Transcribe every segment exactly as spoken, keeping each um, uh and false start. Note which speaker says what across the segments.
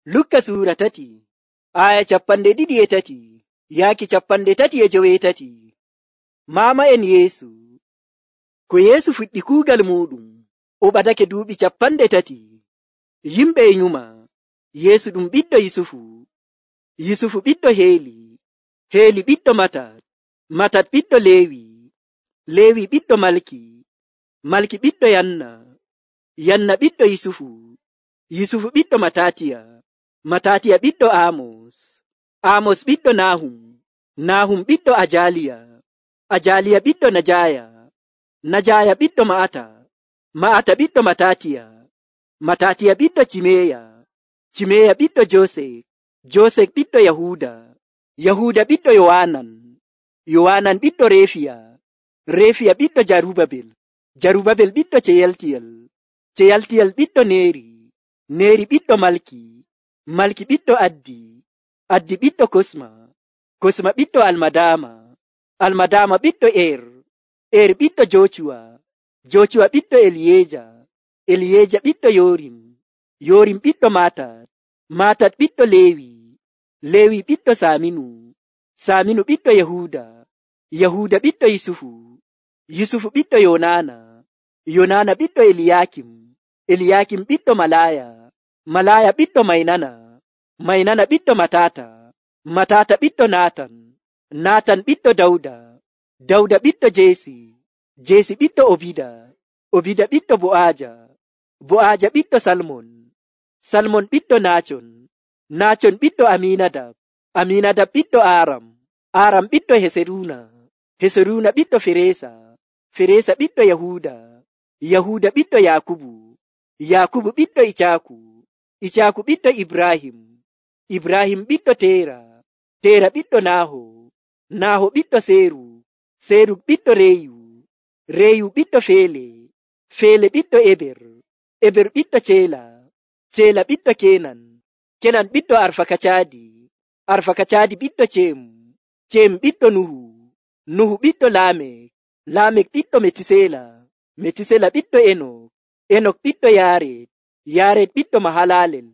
Speaker 1: Lukka suura tati aya capanɗe ɗiɗi e tati yaaki capanɗe tati e joweetati. Maama'en Yeesu. Ko Yeesu fuɗɗi kuugal muɗum o ɓadake duuɓi capanɗe tati. Yimɓe e nyuma Yeesu ɗum ɓiɗɗo Yusufu, Yusufu ɓiɗɗo Heeli, Heeli ɓiɗɗo Matat, Matat ɓiɗɗo Leewi, Leewi ɓiɗɗo Malki, Malki ɓiɗɗo Yanna, Yanna ɓiɗɗo Yusufu, Yusufu ɓiɗɗo Matatiya, Matatiya ɓiɗɗo Amos, Amos ɓiɗɗo Nahum, Nahum ɓiɗɗo Ajaliya, Ajaliya ɓiɗɗo Najaya, Najaya ɓiɗɗo Ma'ata, Ma'ata ɓiɗɗo Matatiya, Matatiya ɓiɗɗo Cimeya, Cimeya ɓiɗɗo Josek, Josek ɓiɗɗo Yahuda, Yahuda ɓiɗɗo Yowanan, Yowanan ɓiɗɗo Refiya, Refiya ɓiɗɗo Jarubabel, Jarubabel ɓiɗɗo Ceyaltiyel, Ceyaltiyel ɓiɗɗo Neri, Neri ɓiɗɗo Malki, Malki ɓiɗɗo Addi, Addi ɓiɗɗo Kosma, Kosma ɓiɗɗo Almadama, Almadama ɓiɗɗo Er, Er ɓiɗɗo Jocuwa, Jocuwa ɓiɗɗo Eliyeja, Eliyeja ɓiɗɗo Yorim, Yorim ɓiɗɗo Matat, Matat ɓiɗɗo Lewi, Lewi ɓiɗɗo Saminu, Saminu ɓiɗɗo Yahuda, Yahuda ɓiɗɗo Yusufu, Yusufu ɓiɗɗo Yonana, Yonana ɓiɗɗo Eliyakim, Eliyakim ɓiɗɗo Malaya, Malaya ɓiɗɗo Mainana, Mainana ɓiɗɗo Matata, Matata ɓiɗɗo Natan, Natan ɓiɗɗo Dawda, Dawda ɓiɗɗo Jesi, Jesi ɓiɗɗo Obida, Obida ɓiɗɗo Bo'aja, Bo'aja ɓiɗɗo Salmon, Salmon ɓiɗɗo Nachon, Nachon ɓiɗɗo Aminadab, Aminadab ɓiɗɗo Aram, Aram ɓiɗɗo Heseruna, Heseruna ɓiɗɗo Feresa, Feresa ɓiɗɗo Yahuda, Yahuda ɓiɗɗo Yakubu, Yakubu ɓiɗɗo Icaku, Icaku ɓiɗɗo Ibrahim, Ibrahim ɓiɗɗo Tera, Tera ɓiɗɗo Naho, Naho ɓiɗɗo Seru, Seru ɓiɗɗo Reyu, Reyu ɓiɗɗo Fele, Fele ɓiɗɗo Eber, Eber ɓiɗɗo Cela, Cela ɓiɗɗo Kenan, Kenan ɓiɗɗo Arfakacadi, Arfakacadi ɓiɗɗo Cem, Cem ɓiɗɗo Nuhu, Nuhu ɓiɗɗo Lamek, Lamek ɓiɗɗo Metusela, Metusela ɓiɗɗo Enok, Enok ɓiɗɗo Yaret, Yaret ɓiɗɗo Mahalalel,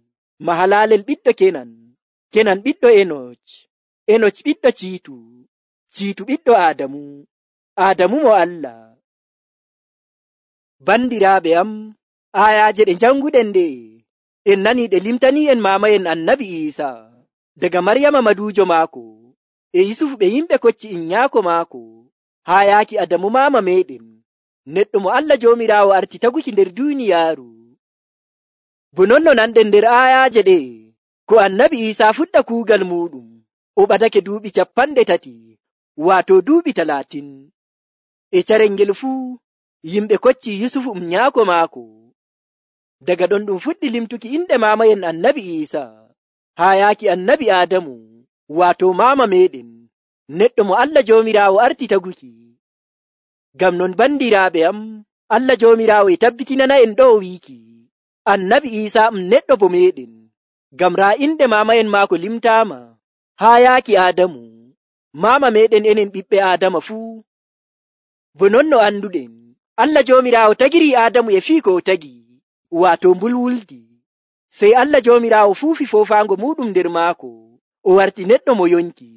Speaker 1: Mahalalel ɓiɗɗo Kenan, Kenan ɓiɗɗo Enoch, Enoch ɓiɗɗo Citu, Citu ɓiɗɗo Adamu, Adamu mo Allah. Bandiraɓe am, ayaje ɗe janguɗen nde en nani ɗe limtani en mamayen annabi Isa daga Maryama madujo maako e Yusufu ɓe yimɓe kocci innyako maako haa yaaki Adamu mama meɗen, neɗɗo mo Allah Jomirawo arti taguki nder duniyaaru. Bo non no nanɗen nder ayaje ɗe ko annabi Isa fuɗɗa kuugal muɗum o ɓadake duuɓi capanɗe tati, waato duuɓi talatin. E carel ngel fuu yimɓe kocci Yusufu um nyaako maako. Daga ɗon ɗum fuɗɗi limtuki inɗe mamayen annabi Isa haa yaaki annabi Adamu, waato mama meɗen, neɗɗo mo Allah Jomirawo arti taguki. Ngam non bandiraɓe am, Allah Jomirawo e tabbitinana en ɗo wiiki annabi Isa um neɗɗo bo meɗen, ngam raa inɗe mamayen maako limtama haa yaaki Adamu, mama meɗen enen ɓiɓɓe Adama fuu. Bo non no anduɗen, Allah Jomirawo tagiri Adamu e fii ko o tagi, waato mbulwuldi. Sey Allah Jomirawo fuufi fofaango muɗum nder maako, o warti neɗɗo mo yonki,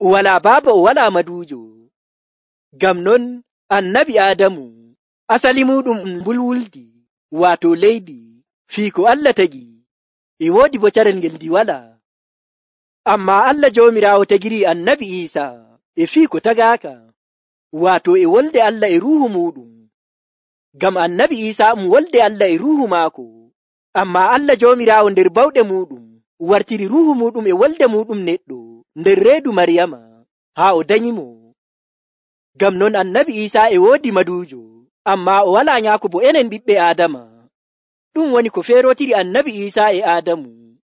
Speaker 1: o wala baaba o wala madujo. Ngam non annabi Adamu asali muɗum mbulwuldi, waato leydi, fii ko Allah tagi, e woodi bo carel ngel ndi wala. Amma Allah Jomirawo tagiri annabi Isa e fii ko tagaaka, waato e wolde Allah e ruuhu muɗum. Ngam annabi Isa um wolde Allah e ruuhu maako, amma Allah Jomirawo nder bawɗe muɗum wartiri ruuhu muɗum e wolde muɗum neɗɗo nder reedu Maryama haa o danyimo. Ngam non annabi Isa e woodi madujo, amma o wala nyaako bo enen ɓiɓɓe Adama. Ɗum woni ko feerotiri annabi Isa e Adamu.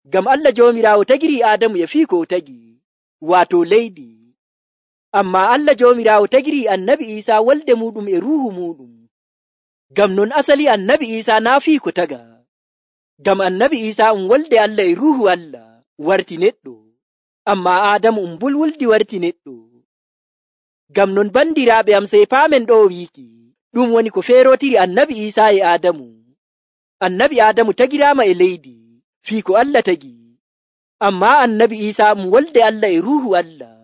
Speaker 1: Ngam Allah Jomirawo tagiri Adamu e fii ko o tagi, waato leydi. Amma Allah Jomirawo tagiri annabi Isa wolde muɗum e ruuhu muɗum. Ngam non asali annabi Isa naa fii ko taga. Ngam annabi Isa um wolde Allah e ruuhu Allah warti neɗɗo, amma Adamu um mbulwuldi warti neɗɗo. Ngam non bandiraɓe am sey paamen ɗo wiiki ɗum woni ko feerotiri annabi Isa e Adamu. Annabi Adamu tagirama e leydi, fii ko Allah tagi. Ammaa annabi Iisaa um wolde Allah e ruuhu Allah.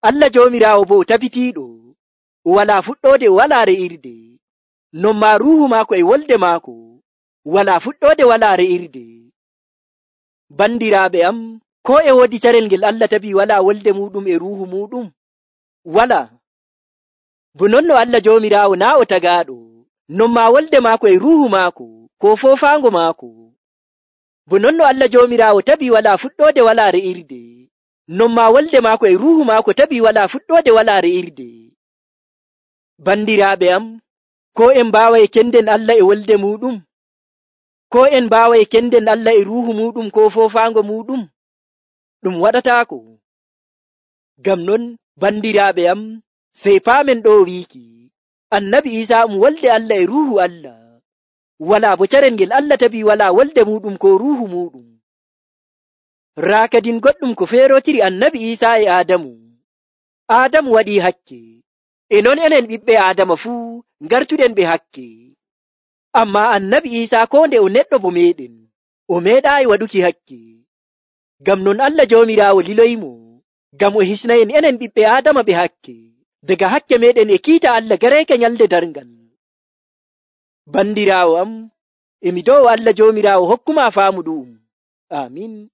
Speaker 1: Allah Joomiraawo bo tabitiiɗo, o walaa fuɗɗoode, walaa re'irde. Non maa ruuhu maako e wolde maako, walaa fuɗɗoode, walaa re'irde. Bandiraaɓe am, ko e woodi carel ngel Allah tabii walaa wolde muuɗum e ruuhu muuɗum? Walaa. Bo non no Allah Joomiraawo naa o tagaaɗo, non maa wolde maako e ruuhu maako, ko foofaango maako. Bo non no Allah Joomiraawo tabii walaa fuɗɗoode, walaa re'irde, non maa wolde maako e ruuhu maako tabii walaa fuɗɗoode, walaa re'irde. Bandiraaɓe am, ko en mbaaway kenden Allah e wolde muuɗum? Ko en mbaaway kenden Allah e ruuhu muuɗum ko foofaango muuɗum? Ɗum waɗataako. Ngam non, bandiraaɓe am, sey paamen ɗo wiiki, annabi Iisaa um wolde Allah e ruuhu Allah. Walaa bo carel ngel Allah tabii walaa wolde muuɗum ko ruuhu muuɗum. Raa kadin goɗɗum ko feerotiri annabi Iisaa e Aadamu. Aadamu waɗii hakke, e non enen ɓiɓɓe Aadama fuu ngartuɗen ɓe hakke. Ammaa annabi Iisaa ko nde o neɗɗo bo meeɗen, o meeɗaayi waɗuki hakke. Ngam non Allah Joomiraawo liloyimo, ngam o hisnayen enen ɓiɓɓe Aadama ɓe hakke, daga hakke meeɗen e kiita Allah gareeke nyalde darngal. Bandiraawo am, emi dow Allah Joomiraawo hokkuma faamu ɗu'um. Amin.